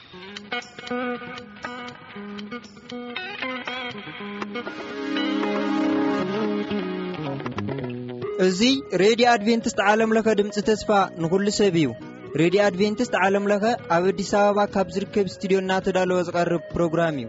እዚ ሬድዮ ኣድቬንቲስት ዓለም ለኸ ድምፂ ተስፋ ንኹሉ ሰብ እዩ። ሬድዮ ኣድቬንቲስት ዓለም ለኸ ኣብ ኣዲስ ኣበባ ካብ ዝርከብ ስቱዲዮ እናተዳለወ ዝቐርብ ፕሮግራም እዩ።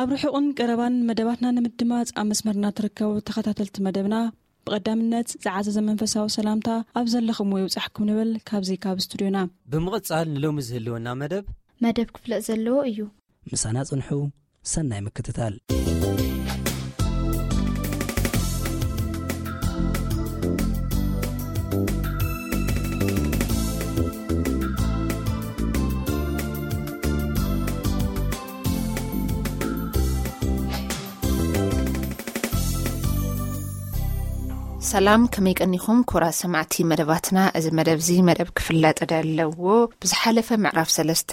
ኣብ ርሑቕን ቀረባን መደባትና ንምድማፅ ኣብ መስመርና ትርከቡ ተኸታተልቲ መደብና፣ ብቐዳምነት ዝዓዘዘ መንፈሳዊ ሰላምታ ኣብ ዘለኹምዎ ይብጻሕኩም ንብል ካብዚ ካብ ስቱዲዮና። ብምቕጻል ንሎሚ ዝህልወና መደብ መደብ ክፍለጥ ዘለዎ እዩ። ምሳና ጽንሑ። ሰናይ ምክትታል። ሰላም፣ ከመይ ቀኒኹም ክቡራት ሰማዕቲ መደባትና? እዚ መደብ እዚ መደብ ክፍለጥ ዘለዎ ብዝሓለፈ ምዕራፍ ሰለስተ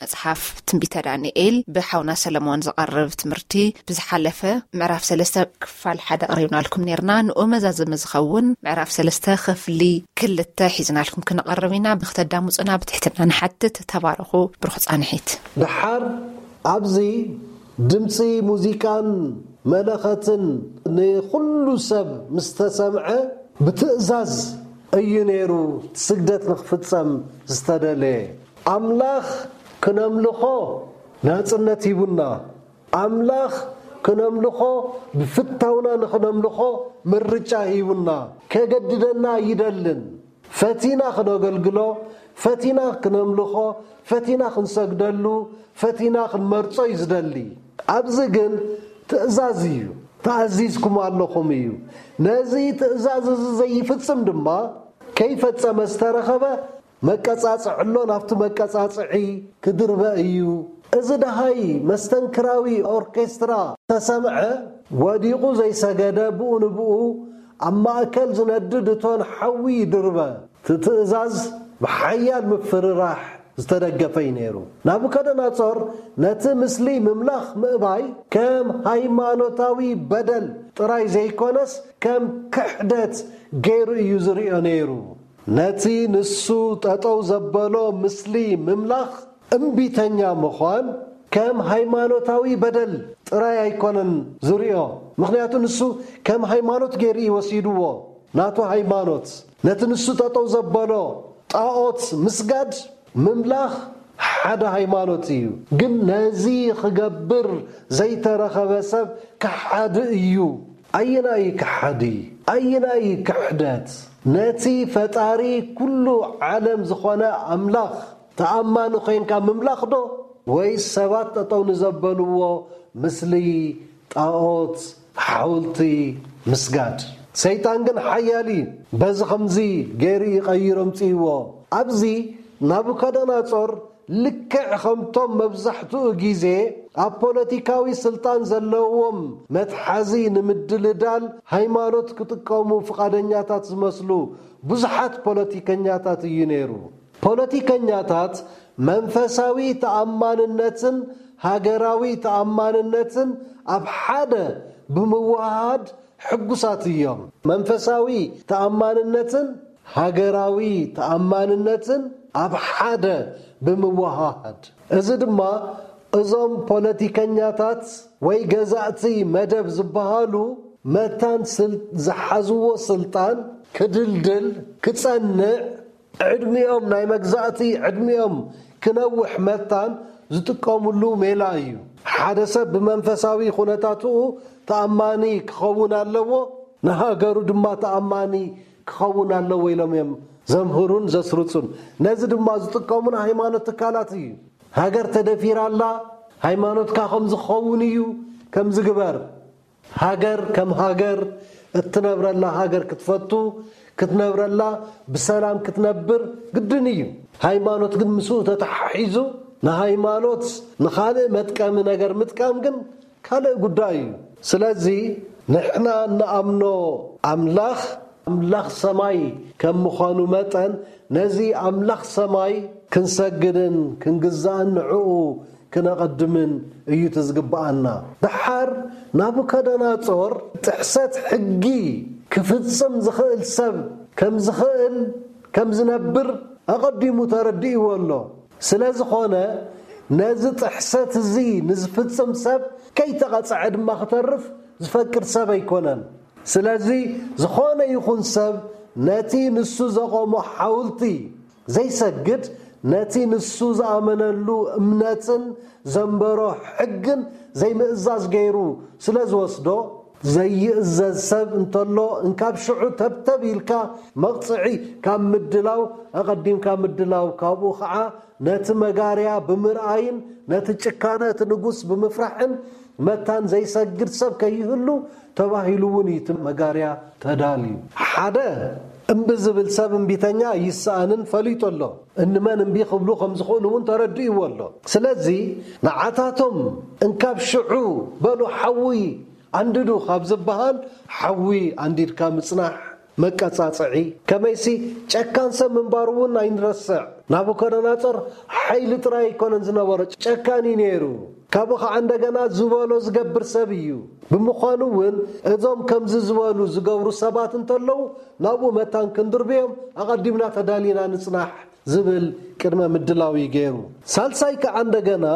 መጽሓፍ ትንቢተ ዳንኤል ብሓውና ሰለሞን ዝቐርብ ትምህርቲ ብዝሓለፈ ምዕራፍ ሰለስተ ክፋል ሓደ ኣቕሪብናልኩም ኔርና። ንኡ መዛዘሚ ዝኸውን ምዕራፍ ሰለስተ ክፍሊ ክልተ ሒዝናልኩም ክንቐርብ ኢና። ብክተዳምፁና ብትሕትና ንሓትት። ተባረኹ። ብሩኽ ጻንሒት። ደሓር ኣብዚ ድምፂ ሙዚቃን መለኸትን ንኹሉ ሰብ ምስ ተሰምዐ፣ ብትእዛዝ እዩ ነይሩ ስግደት ንክፍጸም ዝተደለየ። ኣምላኽ ክነምልኾ ናጽነት ሂቡና። ኣምላኽ ክነምልኾ፣ ብፍታውና ንኽነምልኾ ምርጫ ሂቡና። ከገድደና ኣይደልን። ፈቲና ክነገልግሎ፣ ፈቲና ክነምልኾ፣ ፈቲና ክንሰግደሉ፣ ፈቲና ክንመርጾ እዩ ዝደሊ። ኣብዚ ግን ትእዛዝ እዩ። ተኣዚዝኩም ኣለኹም እዩ። ነዚ ትእዛዝ እዚ ዘይፍጽም ድማ፣ ከይፈጸመ ዝተረኸበ መቀጻጽዒ ኣሎ፣ ናብቲ መቀጻጽዒ ክድርበ እዩ። እዚ ደሃይ መስተንክራዊ ኦርኬስትራ ተሰምዐ፣ ወዲቑ ዘይሰገደ፣ ብኡ ንብኡ ኣብ ማእከል ዝነድድ እቶን ሓዊ ይድርበ። እቲ ትእዛዝ ብሓያል ምፍርራሕ ዝተደገፈ እዩ ነይሩ። ናቡከደነጾር ነቲ ምስሊ ምምላኽ ምእባይ ከም ሃይማኖታዊ በደል ጥራይ ዘይኮነስ፣ ከም ክሕደት ገይሩ እዩ ዝርእዮ ነይሩ። ነቲ ንሱ ጠጠው ዘበሎ ምስሊ ምምላኽ እምቢተኛ ምዃን ከም ሃይማኖታዊ በደል ጥራይ ኣይኮነን ዝርእዮ። ምኽንያቱ ንሱ ከም ሃይማኖት ገይሩ እዩ ወሲድዎ። ናቱ ሃይማኖት፣ ነቲ ንሱ ጠጠው ዘበሎ ጣኦት ምስጋድ፣ ምምላኽ ሓደ ሃይማኖት እዩ። ግን ነዚ ክገብር ዘይተረኸበ ሰብ ከሓዲ እዩ። ኣየናይ ከሓዲ? ኣየናይ ክሕደት? ነቲ ፈጣሪ ኩሉ ዓለም ዝኾነ ኣምላኽ ተኣማኒ ኮይንካ ምምላኽ ዶ? ወይስ ሰባት ጠጠው ንዘበልዎ ምስሊ ጣኦት ሓውልቲ ምስጋድ? ሰይጣን ግን ሓያል እዩ። በዚ ከምዚ ገይሩ ይቐይሮ ምጽእዎ። ኣብዚ ናቡከደነጾር ልክዕ ከምቶም መብዛሕትኡ ግዜ ኣብ ፖለቲካዊ ስልጣን ዘለዎም መትሓዚ ንምድልዳል ሃይማኖት ክጥቀሙ ፍቓደኛታት ዝመስሉ ብዙሓት ፖለቲከኛታት እዩ ነይሩ። ፖለቲከኛታት መንፈሳዊ ተኣማንነትን ሃገራዊ ተኣማንነትን ኣብ ሓደ ብምውሃሃድ ሕጉሳት እዮም። መንፈሳዊ ተኣማንነትን ሃገራዊ ተኣማንነትን ኣብ ሓደ ብምውሃሃድ፣ እዚ ድማ እዞም ፖለቲከኛታት ወይ ገዛእቲ መደብ ዝበሃሉ መታን ስል-፣ ዝሓዝዎ ስልጣን ክድልድል፣ ክጸንዕ፣ ዕድሚኦም ናይ መግዛእቲ ዕድሚኦም ክነውሕ መታን ዝጥቀምሉ ሜላ እዩ። ሓደ ሰብ ብመንፈሳዊ ኩነታትኡ ተኣማኒ ክኸውን ኣለዎ፣ ንሃገሩ ድማ ተኣማኒ ክኸውን ኣለዎ ኢሎም እዮም ዘምህሩን ዘስርጹን። ነዚ ድማ ዝጥቀሙ ናይ ሃይማኖት ትካላት እዩ። ሃገር ተደፊራ ኣላ፣ ሃይማኖትካ ከም ዝኸውን እዩ፣ ከም ዝግበር። ሃገር ከም ሃገር እትነብረላ ሃገር ክትፈቱ፣ ክትነብረላ ብሰላም ክትነብር ግድን እዩ። ሃይማኖት ግን ምስኡ ተተሓሒዙ ንሃይማኖት ንኻልእ መጥቀሚ ነገር ምጥቃም ግን ካልእ ጉዳይ እዩ። ስለዚ ንሕና እንኣምኖ ኣምላኽ፣ ኣምላኽ ሰማይ ከም ምዃኑ መጠን፣ ነዚ ኣምላኽ ሰማይ ክንሰግድን ክንግዛእን ንዕኡ ክነቐድምን እዩ እቲ ዝግብኣና። ደሓር ናቡከደነጾር ጥሕሰት ሕጊ ክፍጽም ዝኽእል ሰብ ከም ዝኽእል ከም ዝነብር ኣቐዲሙ ተረዲእዎ ኣሎ። ስለ ዝኾነ ነዚ ጥሕሰት እዚ ንዝፍጽም ሰብ ከይተቐጽዐ ድማ ክተርፍ ዝፈቅድ ሰብ ኣይኮነን። ስለዚ ዝኾነ ይኹን ሰብ ነቲ ንሱ ዘቖሞ ሓውልቲ ዘይሰግድ፣ ነቲ ንሱ ዝኣመነሉ እምነትን ዘንበሮ ሕግን ዘይምእዛዝ ገይሩ ስለ ዝወስዶ፣ ዘይእዘዝ ሰብ እንተሎ እንካብ ሽዑ ተብተብ ኢልካ መቕጽዒ ካብ ምድላው ኣቐዲምካ ምድላው፣ ካብኡ ኸዓ ነቲ መጋርያ ብምርኣይን ነቲ ጭካነ እቲ ንጉስ ብምፍራሕን መታን ዘይሰግድ ሰብ ከይህሉ ተባሂሉ እውን እዩ እቲ መጋርያ ተዳልዩ። ሓደ እምቢ ዝብል ሰብ እምቢተኛ ይሰኣንን ፈሊጡ ኣሎ። እንመን እምቢ ክብሉ ከም ዝኽእሉ እውን ተረዲእዎ ኣሎ። ስለዚ ንዓታቶም እንካብ ሽዑ በሉ ሓዊ ኣንድዱ ካብ ዝበሃል ሓዊ ኣንዲድካ ምጽናሕ መቀጻጽዒ። ከመይሲ ጨካን ሰብ ምንባሩ እውን ኣይንረስዕ። ናቡከደነጾር ሓይሊ ጥራይ ኣይኮነን ዝነበሮ፣ ጨካን እዩ ነይሩ። ካብኡ ኸዓ እንደገና ዝበሎ ዝገብር ሰብ እዩ። ብምዃኑ እውን እዞም ከምዚ ዝበሉ ዝገብሩ ሰባት እንተለዉ ናብኡ መታን ክንድርብዮም ኣቐዲምና ተዳሊና ንጽናሕ ዝብል ቅድመ ምድላው እዩ ገይሩ። ሳልሳይ ከዓ እንደገና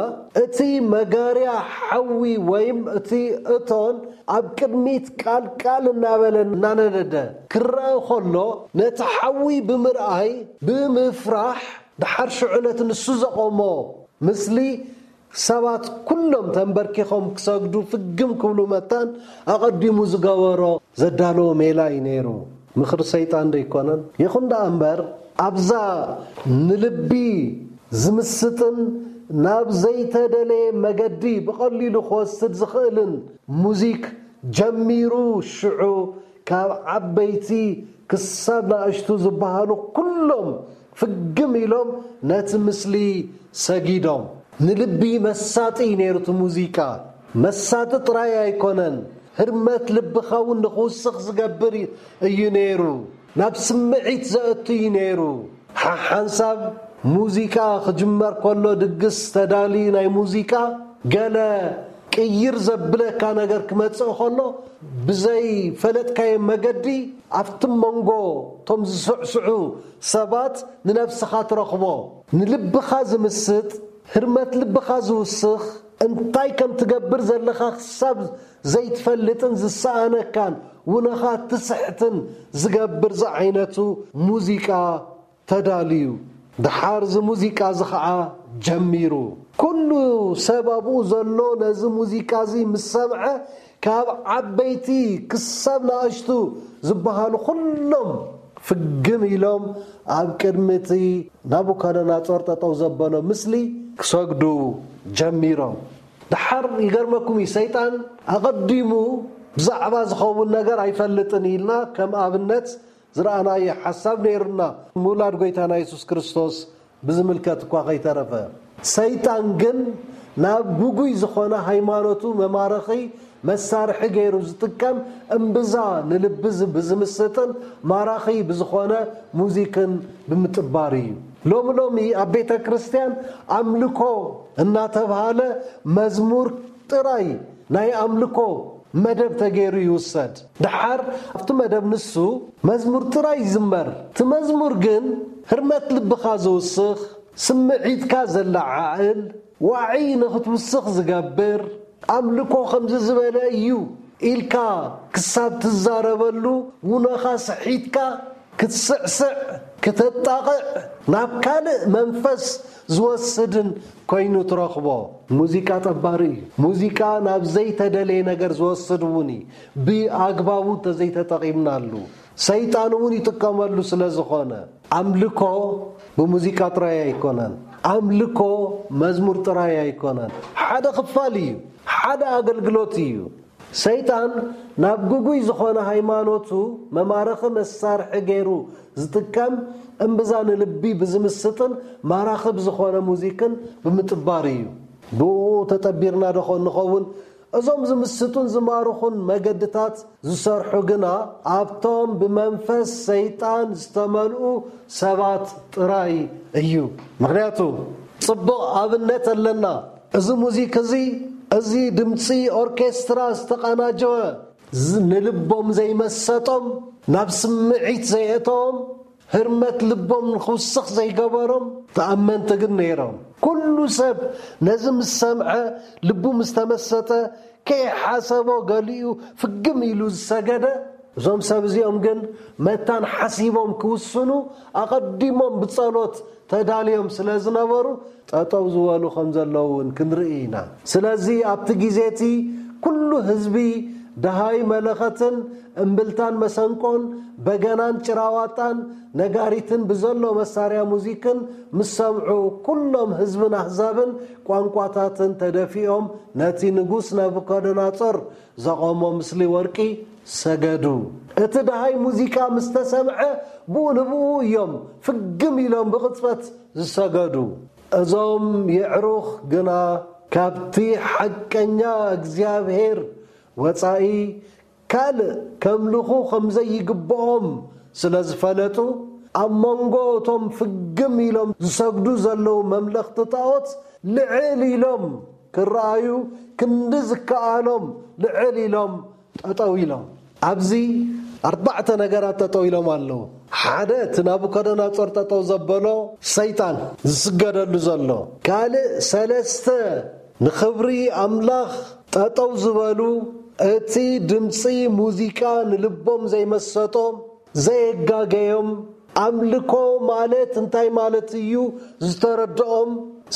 እቲ መጋርያ ሓዊ ወይም እቲ እቶን ኣብ ቅድሚት ቃል ቃል እናበለ እናነደደ ክረአ ከሎ ነቲ ሓዊ ብምርኣይ ብምፍራሕ ድሓር ሽዑ ነቲ ንሱ ዘቆሞ ምስሊ ሰባት ኩሎም ተንበርኪኾም ክሰግዱ ፍግም ክብሉ መታን ኣቐዲሙ ዝገበሮ ዘዳለዎ ሜላ እዩ ነይሩ። ምኽሪ ሰይጣን ዶ ኣይኮነን? ይኹን ደኣ እምበር ኣብዛ ንልቢ ዝምስጥን ናብ ዘይተደለየ መገዲ ብቐሊሉ ክወስድ ዝኽእልን ሙዚክ ጀሚሩ ሽዑ ካብ ዓበይቲ ክሳብ ናእሽቱ ዝበሃሉ ኩሎም ፍግም ኢሎም ነቲ ምስሊ ሰጊዶም። ንልቢ መሳጢ እዩ ነይሩ እቲ ሙዚቃ። መሳጢ ጥራይ ኣይኮነን፣ ህርመት ልብኻ እውን ንኽውስኽ ዝገብር እዩ ነይሩ። ናብ ስምዒት ዘእቱ እዩ ነይሩ። ሓሓንሳብ ሙዚቃ ክጅመር ከሎ ድግስ ተዳልዩ ናይ ሙዚቃ ገለ ቅይር ዘብለካ ነገር ክመጽእ ከሎ ብዘይ ፈለጥካዮ መገዲ ኣብቲ መንጎ እቶም ዝስዕስዑ ሰባት ንነብስኻ ትረኽቦ። ንልብኻ ዝምስጥ፣ ህርመት ልብኻ ዝውስኽ፣ እንታይ ከም ትገብር ዘለኻ ክሳብ ዘይትፈልጥን ዝሰኣነካን ውነኻ ትስሕትን ዝገብር ዝዓይነቱ ሙዚቃ ተዳልዩ። ደሓር እዚ ሙዚቃ እዚ ኸዓ ጀሚሩ። ኩሉ ሰብ ኣብኡ ዘሎ ነዚ ሙዚቃ እዚ ምስ ሰምዐ ካብ ዓበይቲ ክሳብ ንኣሽቱ ዝበሃሉ ኩሎም ፍግም ኢሎም ኣብ ቅድሚ እቲ ናቡከደነጾር ጠጠው ዘበሎ ምስሊ ክሰግዱ ጀሚሮም። ደሓር ይገርመኩም እዩ፣ ሰይጣን ኣቐዲሙ ብዛዕባ ዝኸውን ነገር ኣይፈልጥን ኢልና ከም ኣብነት ዝረኣናዮ ሓሳብ ነይሩና። ምውላድ ጎይታና የሱስ ክርስቶስ ብዝምልከት እኳ ከይተረፈ፣ ሰይጣን ግን ናብ ግጉይ ዝኾነ ሃይማኖቱ መማረኺ መሳርሒ ገይሩ ዝጥቀም እምብዛ ንልቢ ዝ- ብዝምስጥን ማራኺ ብዝኾነ ሙዚክን ብምጥባር እዩ። ሎሚ ሎሚ ኣብ ቤተ ክርስቲያን ኣምልኮ እናተብሃለ መዝሙር ጥራይ ናይ ኣምልኮ መደብ ተገይሩ ይውሰድ። ደሓር ኣብቲ መደብ ንሱ መዝሙር ጥራይ ይዝመር። እቲ መዝሙር ግን ህርመት ልብኻ ዝውስኽ፣ ስምዒትካ ዘለዓዕል፣ ዋዒ ንኽትውስኽ ዝገብር፣ ኣምልኮ ከምዚ ዝበለ እዩ ኢልካ ክሳብ ትዛረበሉ ውነኻ ስሒትካ ክትስዕስዕ፣ ክተጣቕዕ፣ ናብ ካልእ መንፈስ ዝወስድን ኮይኑ ትረኽቦ። ሙዚቃ ጠባሪ እዩ። ሙዚቃ ናብ ዘይተደለየ ነገር ዝወስድ እውን እዩ፣ ብኣግባቡ እንተዘይተጠቒምናሉ። ሰይጣን እውን ይጥቀመሉ ስለ ዝኾነ፣ ኣምልኮ ብሙዚቃ ጥራይ ኣይኮነን። ኣምልኮ መዝሙር ጥራይ ኣይኮነን። ሓደ ክፋል እዩ፣ ሓደ ኣገልግሎት እዩ። ሰይጣን ናብ ግጉይ ዝኾነ ሃይማኖቱ መማረኺ መሳርሒ ገይሩ ዝጥቀም እምብዛ ንልቢ ብዝምስጥን ማራኺ ብዝኾነ ሙዚክን ብምጥባር እዩ። ብኡ ተጠቢርና ዶ ኾን ንኸውን? እዞም ዝምስጡን ዝማርኹን መገድታት ዝሰርሑ ግና ኣብቶም ብመንፈስ ሰይጣን ዝተመልኡ ሰባት ጥራይ እዩ። ምኽንያቱ ጽቡቕ ኣብነት ኣለና። እዚ ሙዚክ እዚ፣ እዚ ድምጺ ኦርኬስትራ ዝተቓናጀወ ዝ- ንልቦም ዘይመሰጦም፣ ናብ ስምዒት ዘየእተዎም፣ ህርመት ልቦም ንኽውስኽ ዘይገበሮም ተኣመንቲ ግን ነይሮም። ኩሉ ሰብ ነዚ ምስ ሰምዐ፣ ልቡ ምስ ተመሰጠ፣ ከይሓሰቦ ገሊኡ ፍግም ኢሉ ዝሰገደ። እዞም ሰብ እዚኦም ግን መታን ሓሲቦም ክውስኑ ኣቐዲሞም ብጸሎት ተዳልዮም ስለ ዝነበሩ፣ ጠጠው ዝበሉ ከም ዘለዉ እውን ክንርኢ ኢና። ስለዚ ኣብቲ ግዜ እቲ ኩሉ ህዝቢ ደሃይ መለኸትን እምብልታን መሰንቆን በገናን ጭራዋጣን ነጋሪትን ብዘሎ መሳርያ ሙዚክን ምስ ሰምዑ፣ ኩሎም ህዝብን ኣህዛብን ቋንቋታትን ተደፊኦም ነቲ ንጉስ ናቡከደነጾር ዘቖሞ ምስሊ ወርቂ ሰገዱ። እቲ ደሃይ ሙዚቃ ምስ ተሰምዐ፣ ብኡ ንብኡ እዮም ፍግም ኢሎም ብቕጽበት ዝሰገዱ። እዞም የዕሩኽ ግና ካብቲ ሓቀኛ እግዚኣብሔር ወጻኢ ካልእ ከምልኹ ከም ዘይግብኦም ስለ ዝፈለጡ፣ ኣብ መንጎ እቶም ፍግም ኢሎም ዝሰግዱ ዘለዉ መምለኽቲ ጣዖት ልዕል ኢሎም ክረኣዩ፣ ክንዲ ዝከኣሎም ልዕል ኢሎም ጠጠው ኢሎም። ኣብዚ ኣርባዕተ ነገራት ጠጠው ኢሎም ኣለዉ። ሓደ፣ እቲ ናቡከደነጾር ጠጠው ዘበሎ ሰይጣን ዝስገደሉ ዘሎ። ካልእ ሰለስተ ንኽብሪ ኣምላኽ ጠጠው ዝበሉ፣ እቲ ድምፂ ሙዚቃ ንልቦም ዘይመሰጦም፣ ዘየጋገዮም፣ ኣምልኮ ማለት እንታይ ማለት እዩ ዝተረድኦም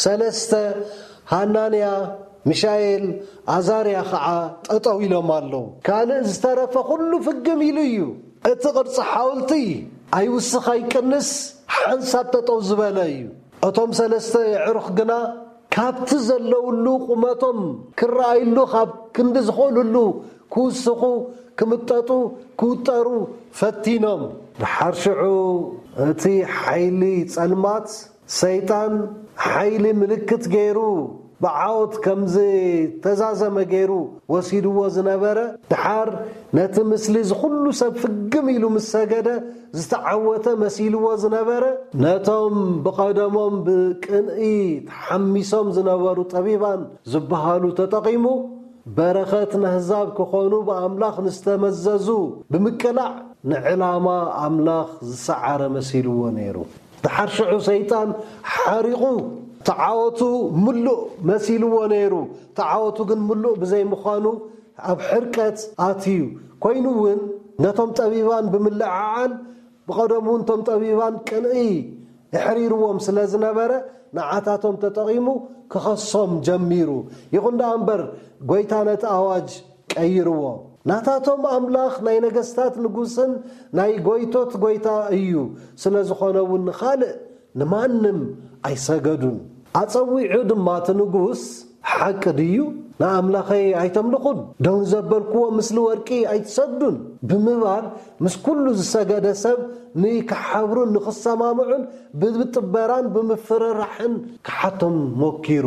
ሰለስተ፣ ሃናንያ፣ ሚሻኤል፣ ኣዛርያ ኸዓ ጠጠው ኢሎም ኣለዉ። ካልእ ዝተረፈ ኩሉ ፍግም ኢሉ እዩ። እቲ ቅርፂ ሓውልቲ ኣይውስኽ ኣይቅንስ ሓንሳብ ጠጠው ዝበለ እዩ። እቶም ሰለስተ የዕሩኽ ግና ካብቲ ዘለውሉ ቁመቶም ክረኣይሉ ካብ ክንዲ ዝኽእልሉ ክውስኹ፣ ክምጠጡ፣ ክውጠሩ ፈቲኖም። ድሓር ሽዑ እቲ ሓይሊ ጸልማት ሰይጣን ሓይሊ ምልክት ገይሩ ብዓወት ከም ዝተዛዘመ ገይሩ ወሲድዎ ዝነበረ፣ ድሓር ነቲ ምስሊ ዝኹሉ ሰብ ፍግም ኢሉ ምስ ሰገደ ዝተዓወተ መሲልዎ ዝነበረ፣ ነቶም ብቐደሞም ብቅንኢ ተሓሚሶም ዝነበሩ ጠቢባን ዝበሃሉ ተጠቒሙ፣ በረኸት ነህዛብ ክኾኑ ብኣምላኽ ንዝተመዘዙ ብምቅላዕ፣ ንዕላማ ኣምላኽ ዝሰዓረ መሲልዎ ነይሩ። ድሓር ሽዑ ሰይጣን ሓሪቑ፣ ተዓወቱ ምሉእ መሲልዎ ነይሩ። ተዓወቱ ግን ምሉእ ብዘይምዃኑ፣ ኣብ ሕርቀት ኣትዩ። ኮይኑ እውን፣ ነቶም ጠቢባን ብምልዕዓል፣ ብቐደሙ እውን እቶም ጠቢባን ቅንኢ የሕሪርዎም ስለ ዝነበረ፣ ንዓታቶም ተጠቒሙ ክኸሶም ጀሚሩ። ይኹን ደኣ እምበር፣ ጐይታ ነቲ ኣዋጅ ቀይርዎ። ናታቶም ኣምላኽ ናይ ነገስታት ንጉስን ናይ ጐይቶት ጐይታ እዩ። ስለ ዝኾነ እውን ንኻልእ ንማንም ኣይሰገዱን። ኣጸዊዑ ድማ እቲ ንጉስ፣ ሓቂ ድዩ? ንኣምላኸይ ኣይተምልኹን፣ ደው ንዘበልክዎ ምስሊ ወርቂ ኣይትሰግዱን ብምባል፣ ምስ ኩሉ ዝሰገደ ሰብ ንክሓብሩን ንክሰማምዑን ብምጥበራን ብምፍርራሕን ክሓቶም ሞኪሩ።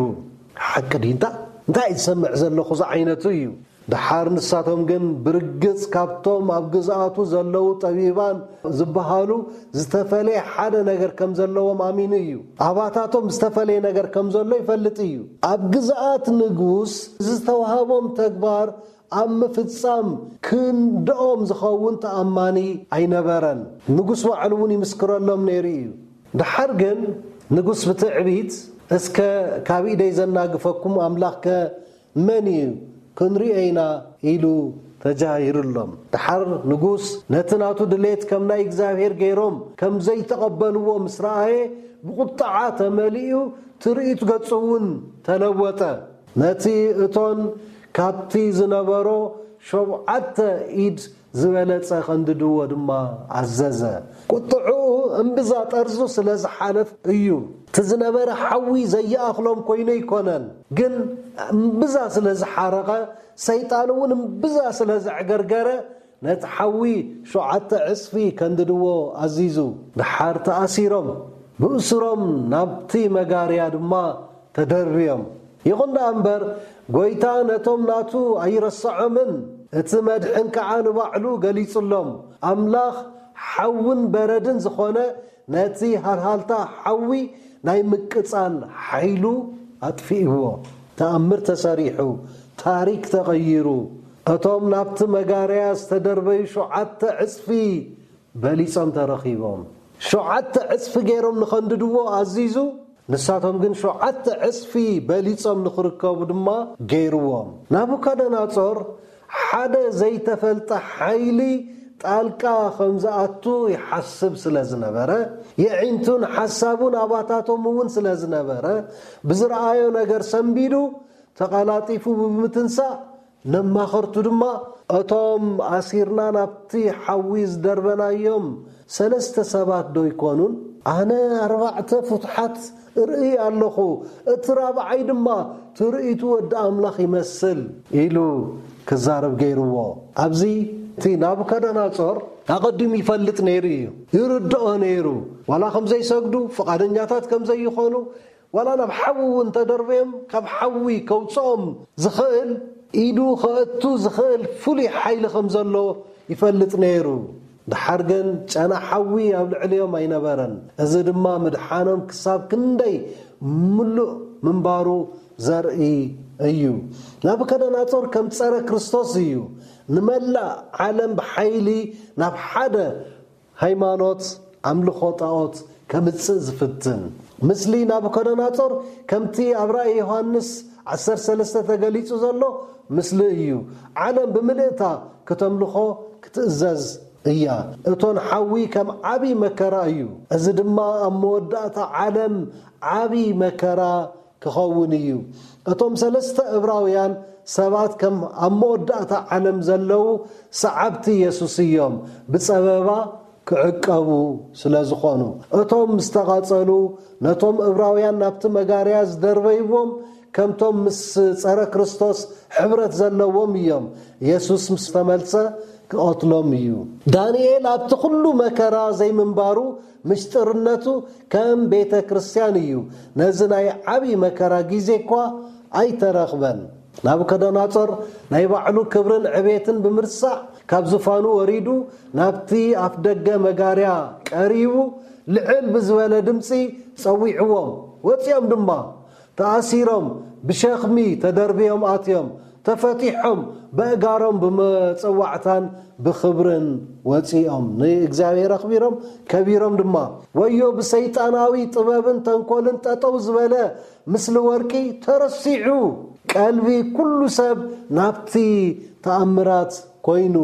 ሓቂ ድዩ? እንታ-፣ እንታይ እዩ ዝሰምዕ ዘለኹ ዝዓይነቱ እዩ። ደሓር ንሳቶም ግን ብርግጽ ካብቶም ኣብ ግዝኣቱ ዘለዉ ጠቢባን ዝበሃሉ ዝተፈለየ ሓደ ነገር ከም ዘለዎም ኣሚኑ እዩ። ኣባታቶም ዝተፈለየ ነገር ከም ዘሎ ይፈልጥ እዩ። ኣብ ግዝኣት ንጉስ ዝተዋህቦም ተግባር ኣብ ምፍጻም ክንድኦም ዝኸውን ተኣማኒ ኣይነበረን። ንጉስ ባዕሉ እውን ይምስክረሎም ነይሩ እዩ። ደሓር ግን ንጉስ ብትዕቢት፣ "እስከ ካብ ኢደይ ዘናግፈኩም ኣምላኽከ መን እዩ? ክንሪኦ ኢና" ኢሉ ተጃሂሩሎም። ደሓር ንጉስ ነቲ ናቱ ድሌት ከም ናይ እግዚኣብሔር ገይሮም ከም ዘይተቐበልዎ ምስ ረኣየ፣ ብቑጥዓ ተመሊኡ፣ ትርኢት ገጹ እውን ተለወጠ። ነቲ እቶን ካብቲ ዝነበሮ ሸውዓተ ኢድ ዝበለጸ ከንድድዎ ድማ ኣዘዘ። ቁጥዕኡ እምብዛ ጠርዙ ስለ ዝሓለፍ እዩ። እቲ ዝነበረ ሓዊ ዘይኣኽሎም ኮይኑ ኣይኮነን፣ ግን እምብዛ ስለ ዝሓረቐ፣ ሰይጣን እውን እምብዛ ስለ ዘዕገርገረ፣ ነቲ ሓዊ ሸውዓተ ዕጽፊ ከንድድዎ ኣዚዙ። ደሓር ተኣሲሮም፣ ብእስሮም ናብቲ መጋርያ ድማ ተደርብዮም። ይኹን ደኣ እምበር፣ ጐይታ ነቶም ናቱ ኣይረስዖምን፣ እቲ መድሕን ከኣ ንባዕሉ ገሊጹሎም። ኣምላኽ ሓውን በረድን ዝኾነ ነቲ ሃልሃልታ ሓዊ ናይ ምቅጻል ሓይሉ ኣጥፊእዎ። ተኣምር ተሰሪሑ፣ ታሪክ ተቐይሩ፣ እቶም ናብቲ መጋርያ ዝተደርበዩ ሸውዓተ ዕጽፊ በሊጾም ተረኺቦም። ሸውዓተ ዕጽፊ ገይሮም ንኸንድድዎ ኣዚዙ፣ ንሳቶም ግን ሸውዓተ ዕጽፊ በሊጾም ንኽርከቡ ድማ ገይርዎም። ናቡከደነጾር ሓደ ዘይተፈልጠ ሓይሊ ጣልቃ ከም ዝኣቱ ይሓስብ ስለ ዝነበረ፣ የዒንቱን ሓሳቡን ኣባታቶም እውን ስለ ዝነበረ፣ ብዝረኣዮ ነገር ሰንቢዱ ተቐላጢፉ ብምትንሳእ፣ ነማኸርቱ ድማ፣ "እቶም ኣሲርና ናብቲ ሓዊ ዝደርበናዮም ሰለስተ ሰባት ዶ ኣይኮኑን? ኣነ ኣርባዕተ ፍቱሓት እርኢ ኣለኹ፣ እቲ ራብዓይ ድማ ትርኢቱ ወዲ ኣምላኽ ይመስል" ኢሉ ክዛረብ ገይርዎ። ኣብዚ እቲ ናቡከደነጾር ኣቐዲሙ ይፈልጥ ነይሩ እዩ፣ ይርድኦ ነይሩ። ዋላ ከም ዘይሰግዱ፣ ፍቓደኛታት ከም ዘይኾኑ፣ ዋላ ናብ ሓዊ እውን ተደርበዮም ካብ ሓዊ ከውፅኦም ዝኽእል፣ ኢዱ ከእቱ ዝኽእል ፍሉይ ሓይሊ ከም ዘሎ ይፈልጥ ነይሩ። ደሓር ግን ጨና ሓዊ ኣብ ልዕሊኦም ኣይነበረን። እዚ ድማ ምድሓኖም ክሳብ ክንደይ ምሉእ ምንባሩ ዘርኢ እዩ። ናቡከደነጾር ከም ጸረ ክርስቶስ እዩ። ንመላእ ዓለም ብሓይሊ ናብ ሓደ ሃይማኖት ኣምልኾ ጣኦት ከምጽእ ዝፍትን። ምስሊ ናቡከደነጾር ከምቲ ኣብ ራእይ ዮሃንስ ዓሰርተ ሰለስተ ተገሊጹ ዘሎ ምስሊ እዩ። ዓለም ብምልእታ ክተምልኾ ክትእዘዝ እያ። እቶን ሓዊ ከም ዓቢ መከራ እዩ። እዚ ድማ ኣብ መወዳእታ ዓለም ዓቢ መከራ ክኸውን እዩ። እቶም ሰለስተ እብራውያን ሰባት ከም ኣብ መወዳእታ ዓለም ዘለዉ ሰዓብቲ የሱስ እዮም። ብጸበባ ክዕቀቡ ስለ ዝኾኑ፣ እቶም ምስ ተቓጸሉ፣ ነቶም እብራውያን ናብቲ መጋርያ ዝደርበይዎም፣ ከምቶም ምስ ጸረ ክርስቶስ ሕብረት ዘለዎም እዮም። የሱስ ምስ ተመልሰ ክቐትሎም እዩ። ዳንኤል ኣብቲ ኩሉ መከራ ዘይምንባሩ፣ ምሽጥርነቱ ከም ቤተ ክርስቲያን እዩ። ነዚ ናይ ዓቢ መከራ ግዜ እኳ ኣይተረኽበን። ናቡከደነጾር ናይ ባዕሉ ክብርን ዕቤትን ብምርሳዕ፣ ካብ ዙፋኑ ወሪዱ፣ ናብቲ ኣፍ ደገ መጋርያ ቀሪቡ፣ ልዕል ብዝበለ ድምጺ ጸዊዕዎም። ወጺኦም ድማ፣ ተኣሲሮም፣ ብሸኽሚ ተደርብዮም ኣትዮም፣ ተፈቲሖም፣ በእጋሮም ብመጸዋዕታን ብኽብርን ወጺኦም፣ ንእግዚኣብሔር ኣኽቢሮም፣ ከቢሮም ድማ። ወዮ ብሰይጣናዊ ጥበብን ተንኮልን ጠጠው ዝበለ ምስሊ ወርቂ ተረሲዑ፣ ቀልቢ ኩሉ ሰብ ናብቲ ተኣምራት ኮይኑ።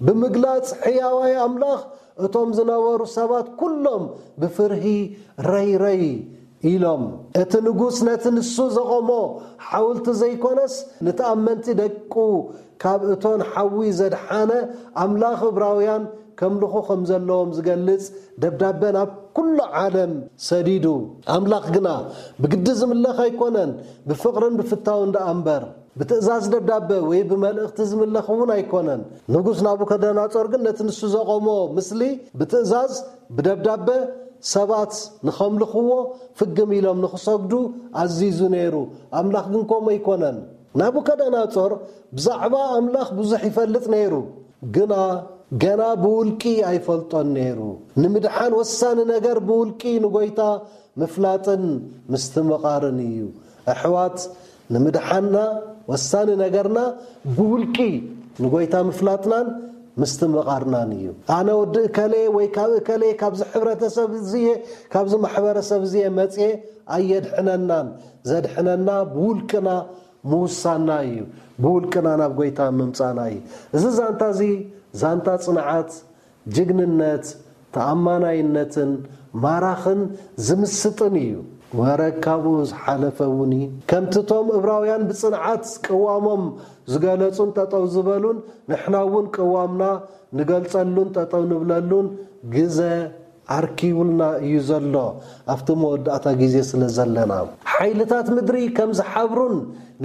ብምግላጽ ሕያዋይ ኣምላኽ እቶም ዝነበሩ ሰባት ኩሎም ብፍርሂ ረይ ረይ ኢሎም። እቲ ንጉስ ነቲ ንሱ ዘቖሞ ሓውልቲ ዘይኮነስ፣ ንተኣመንቲ ደቁ ካብ እቶን ሓዊ ዘድሓነ ኣምላኽ እብራውያን ከምልኹ ከም ዘለዎም ዝገልጽ ደብዳበ ናብ ኩሉ ዓለም ሰዲዱ። ኣምላኽ ግና ብግዲ ዝምለኽ ኣይኮነን፣ ብፍቕርን ብፍታውን ደኣ እምበር። ብትእዛዝ ደብዳበ ወይ ብመልእኽቲ ዝምለኽ እውን ኣይኮነን። ንጉስ ናቡከደነጾር ግን ነቲ ንሱ ዘቖሞ ምስሊ ብትእዛዝ ብደብዳበ ሰባት ንኸምልኽዎ፣ ፍግም ኢሎም ንኽሰግዱ ኣዚዙ ነይሩ። ኣምላኽ ግን ከምኡ ኣይኮነን። ናቡከደነጾር ብዛዕባ ኣምላኽ ብዙሕ ይፈልጥ ነይሩ፣ ግና ገና ብውልቂ ኣይፈልጦን ነይሩ። ንምድሓን ወሳኒ ነገር ብውልቂ ንጎይታ ምፍላጥን ምስትምቓርን እዩ። ኣሕዋት፣ ንምድሓንና ወሳኒ ነገርና ብውልቂ ንጎይታ ምፍላጥናን ምስትምቓርናን እዩ። ኣነ ወዲ እከሌ ወይ ካብ እከሌ፣ ካብዚ ሕብረተሰብ እዚየ፣ ካብዚ ማሕበረሰብ እዚየ መጽየ ኣየድሕነናን። ዘድሕነና ብውልቅና ምውሳንና እዩ። ብውልቅና ናብ ጎይታ ምምጻእና እዩ። እዚ ዛንታ እዚ ዛንታ ጽንዓት፣ ጅግንነት፣ ተኣማናይነትን ማራኽን ዝምስጥን እዩ። ወረ ካብኡ ዝሓለፈ እውን እዩ። ከምቲ እቶም እብራውያን ብጽንዓት ቅዋሞም ዝገለጹን ጠጠው ዝበሉን፣ ንሕና እውን ቅዋምና ንገልጸሉን ጠጠው ንብለሉን ግዘ ኣርኪቡልና እዩ ዘሎ፣ ኣብቲ መወዳእታ ግዜ ስለ ዘለና። ሓይልታት ምድሪ ከም ዝሓብሩን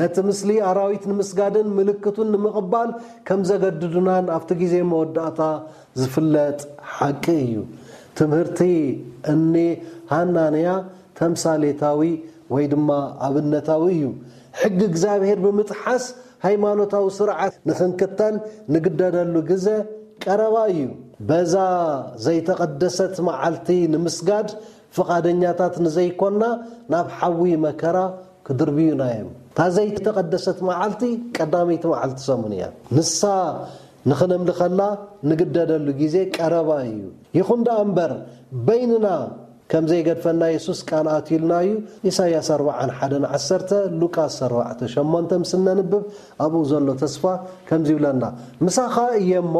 ነቲ ምስሊ ኣራዊት ንምስጋድን ምልክቱን ንምቕባል ከም ዘገድዱናን ኣብቲ ግዜ መወዳእታ ዝፍለጥ ሓቂ እዩ። ትምህርቲ እኒ ሃናንያ ተምሳሌታዊ ወይ ድማ ኣብነታዊ እዩ። ሕጊ እግዚኣብሔር ብምጥሓስ ሃይማኖታዊ ስርዓት ንኽንክተል ንግደደሉ ግዘ ቀረባ እዩ። በዛ ዘይተቐደሰት መዓልቲ ንምስጋድ ፍቓደኛታት ንዘይኮና፣ ናብ ሓዊ መከራ ክድርብዩና እዮም። እታ ዘይተቐደሰት መዓልቲ ቀዳመይቲ መዓልቲ ሰሙን እያ። ንሳ ንኽነምልኸላ ንግደደሉ ግዜ ቀረባ እዩ። ይኹን ደኣ እምበር፣ በይንና ከም ዘይገድፈና የሱስ ቃል ኣትዩልና እዩ። ኢሳይያስ ኣርብዓን ሓደን ዓሰርተ፣ ሉቃስ ኣርባዕተ ሸሞንተ ምስ እነንብብ፣ ኣብኡ ዘሎ ተስፋ ከምዚ ይብለና፣ "ምሳኻ እየ እሞ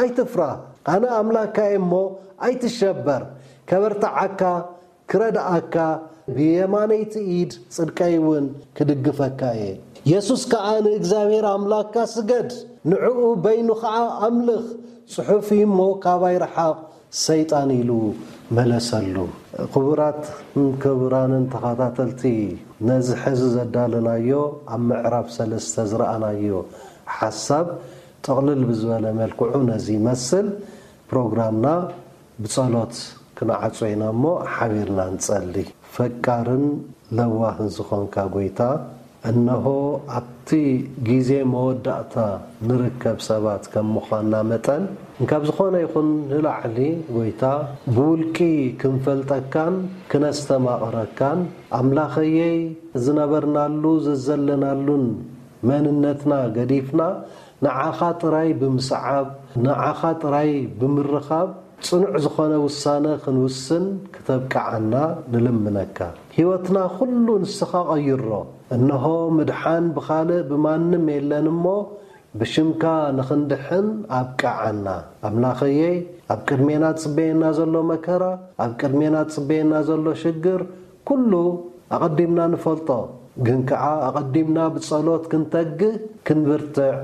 ኣይትፍራህ፣ ኣነ ኣምላክካ እየ እሞ ኣይትሸበር፣ ከበርትዓካ፣ ክረድኣካ፣ ብየማነይቲ ኢድ ጽድቀይ እውን ክድግፈካ እየ። የሱስ ከኣ ንእግዚኣብሔር ኣምላክካ ስገድ፣ ንዕኡ በይኑ ኸኣ ኣምልኽ፣ ጽሑፍ እዩ እሞ ካባይ ርሓቕ ሰይጣን" ኢሉ መለሰሉ። ክቡራትን ክቡራንን ተኸታተልቲ፣ ነዚ ሕዚ ዘዳለናዮ ኣብ ምዕራፍ ሰለስተ ዝረኣናዮ ሓሳብ ጥቕልል ብዝበለ መልክዑ ነዚ ይመስል። ፕሮግራምና ብጸሎት ክንዓጾ ኢና እሞ ሓቢርና ንጸሊ። ፈቃርን ለዋህን ዝኾንካ ጎይታ፣ እነሆ ኣብቲ ግዜ መወዳእታ ንርከብ ሰባት ከም ምዃንና መጠን፣ እንካብ ዝኾነ ይኹን ንላዕሊ ጎይታ፣ ብውልቂ ክንፈልጠካን ክነስተማቕረካን፣ ኣምላኸየይ፣ ዝነበርናሉ ዘዘለናሉን መንነትና ገዲፍና፣ ንዓኻ ጥራይ ብምስዓብ፣ ንዓኻ ጥራይ ብምርኻብ፣ ጽኑዕ ዝኾነ ውሳነ ክንውስን ክተብቅዓና ንልምነካ። ህይወትና ኩሉ ንስኻ ቀይሮ። እንሆ፣ ምድሓን ብኻልእ ብማንም የለን እሞ፣ ብሽምካ ንኽንድሕን ኣብቅዓና። ኣምላኸየይ፣ ኣብ ቅድሜና ዝጽበየና ዘሎ መከራ፣ ኣብ ቅድሜና ዝጽበየና ዘሎ ሽግር፣ ኩሉ ኣቐዲምና ንፈልጦ፣ ግን ከኣ ኣቐዲምና ብጸሎት ክንተግህ፣ ክንብርትዕ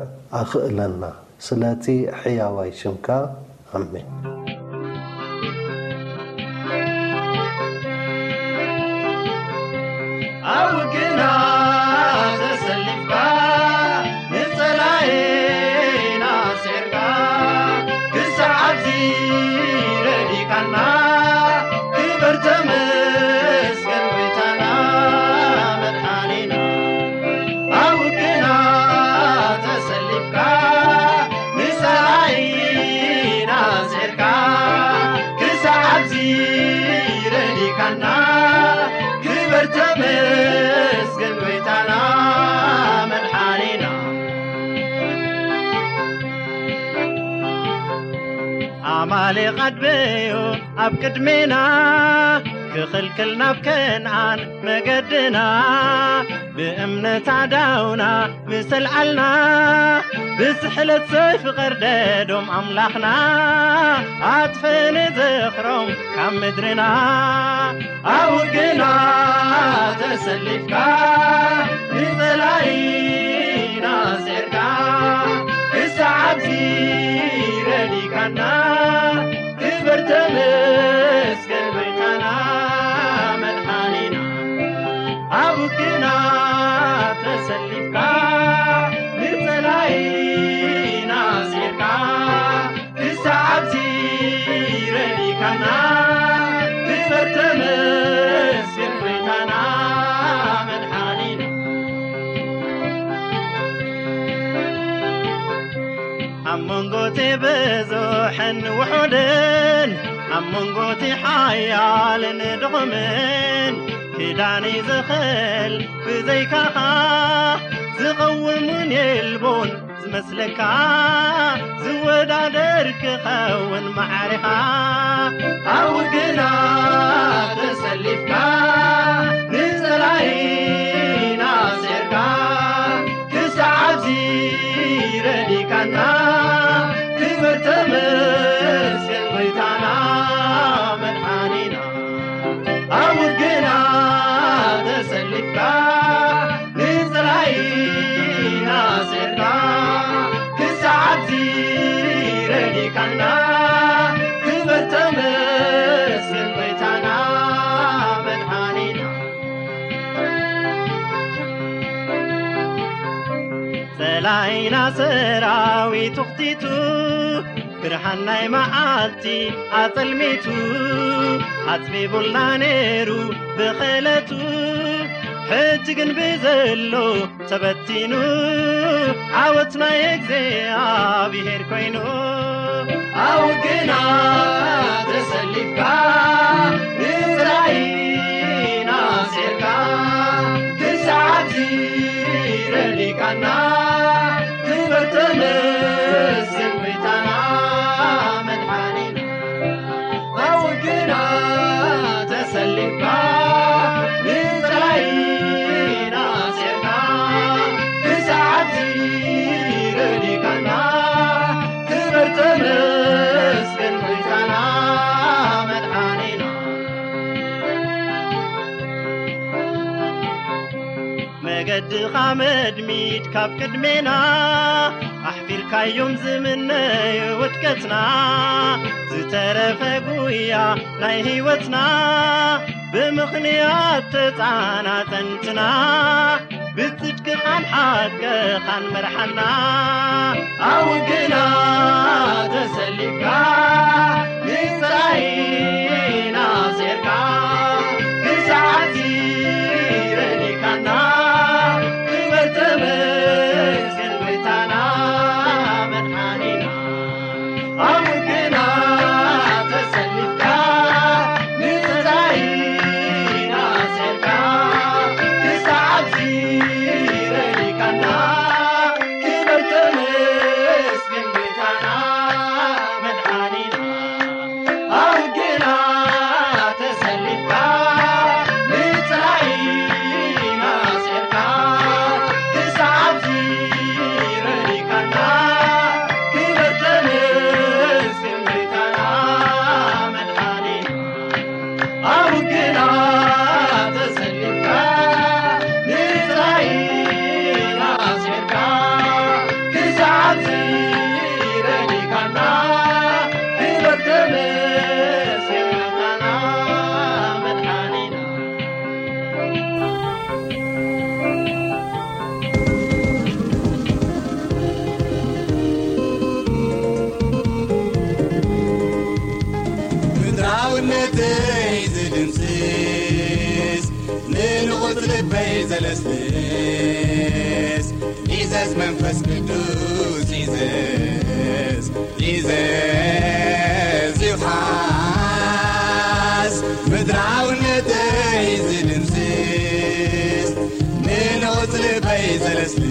ኣኽእለና። ስለቲ ሕያዋይ ሽምካ፣ ኣሜን። ኣብ ውግና ተሰሊፍካ፣ ንጸላኤና ስዒርካ፣ ክሳዕ ኣብዚ ረዲካና፣ ክበር ተመስገን ጎይታና መድሓኒና። ኣብ ውግና ተሰሊፍካ፣ ንጸላኢና ስዒርካ፣ ክሳዕ ኣብዚ ረዲካና፣ ክበር ተመስገን ጎይታና መድሓኒና። ኣማሌቕ ኣድበዮ ኣብ ቅድሜና፣ ክኽልክል ናብ ከነኣን መገድና፣ ብእምነት ኣዳውና ምስ ኣልዓልና፣ ብስሕለት ሰይፊ ቀርደዶም ኣምላኽና፣ ኣጥፍእ ንዝኽሮም ካብ ምድርና። ኣብ ውግና ተሰሊፍካ፣ ንጸላኢና ስዒርካ፣ ክሳዕ ኣብዚ ረዲካና፣ ክበር ተመስገን ጎይታና መድሓኒና። ኣብ ውግና ተሰሊፍካ፣ ንጸላኢና ስዒርካ፣ ክሳዕ ኣብዚ ረዲካና፣ ክበር ተመስገን ጎይታና መድሓኒና። ኣብ መንጎ እቲ ብዙሕን ውሑድን፣ ኣብ መንጎ እቲ ሓያልን ድኹምን፣ ክዳን እዩ ዝኽእል ብዘይካኻ፣ ዝቐውም እውን የልቦን ዝመስለካ፣ ዝወዳደር ክኸውን ማዕሬኻ። ኣብ ውግና ተሰሊፍካ፣ ንጸላኢና ስዒርካ፣ ክሳዕ ኣብዚ ረዲካና፣ ክበር ተመስገን ጎይታና መድሓኒና። ኣብ ውግና ተሰሊፍካ፣ ንጸላኢና ስዒርካ፣ ክሳዕ ኣብዚ ረዲካና፣ ክበር ተመስገን ጎይታና መድሓኒና። ጸላኢና ሰራዊቱ ኽቲቱ፣ ብርሃን ናይ መዓልቲ ኣጸልሚቱ፣ ኣጽቢቡልና ነይሩ ብኽእለቱ። ሕጂ ግን ብዘሎ ተበቲኑ፣ ዓወት ናይ እግዚኣብሔር ኮይኑ። ኣብ ውግና ተሰሊፍካ፣ ንጸላኢና ስዒርካ፣ ክሳዕ ተመስገን ጎይታና መድሓኒና። መገድኻ መድሚድ ካብ ቅድሜና፣ ኣሕፊርካዮም ዝምነዩ ውድቀትና። ዝተረፈ ጉያ ናይ ህይወትና፣ ብምኽንያት ተጻናጸንትና። ብጽድቅኻን ሓቅኻን መርሓና። ኣብ ግና ተሰሊፍካ፣ ንጸላኢና ኣስዒርካ፣ ክሳዕ ሕዚ ረዲእካና። ክበር ተመስገን ጎይታና መድሓኒና። ኣብ ግና ተሰሊፍካ፣ ንጸላኢና ኣስዒርካ፣ ክሳዕ ኣብዚ ረዲእካና። ክበር ተመስገን ጎይታና መድሓኒና። ኣብ ግና ተሰሊፍካ፣ ንጸላኢና ኣስዒርካ፣ ክሳዕ ኣብዚ ረዲእካና። ክበር ተመስገን ጎይታና መድሓኒና። ኣብ ግና ተሰሊፍካ፣ ንጸላኢና ኣስዒርካ፣ ክሳዕ ኣብዚ ረዲእካና። ክበር ተመስገን ጎይታና መድሓኒና። ምድራውነተይ ዝድምስስ፣ ንንቑጽ ልበይ ዘለስልስ፣ ዚዘዝ መንፈስ ቅዱስ ዚዘዝ፣ ዚዘዝ ይውሓስ። ምድራውነተይ ዝድምስስ፣ ንንቑጽ ልበይ ዘለስልስ፣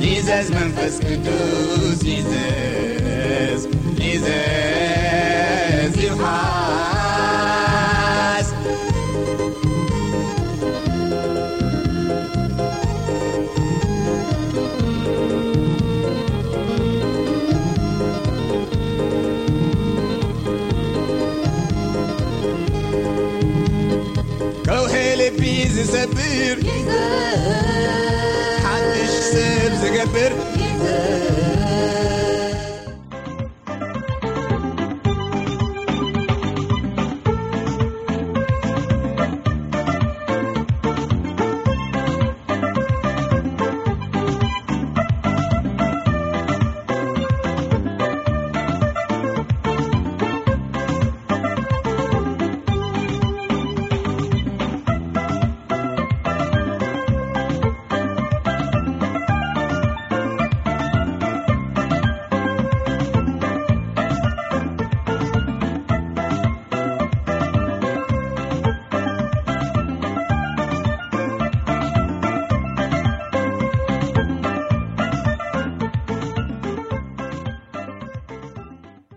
ዚዘዝ መንፈስ ቅዱስ ዚዘዝ፣ ዚዘዝ ይውሓስ። ከውሒ ልቢ ዝሰብር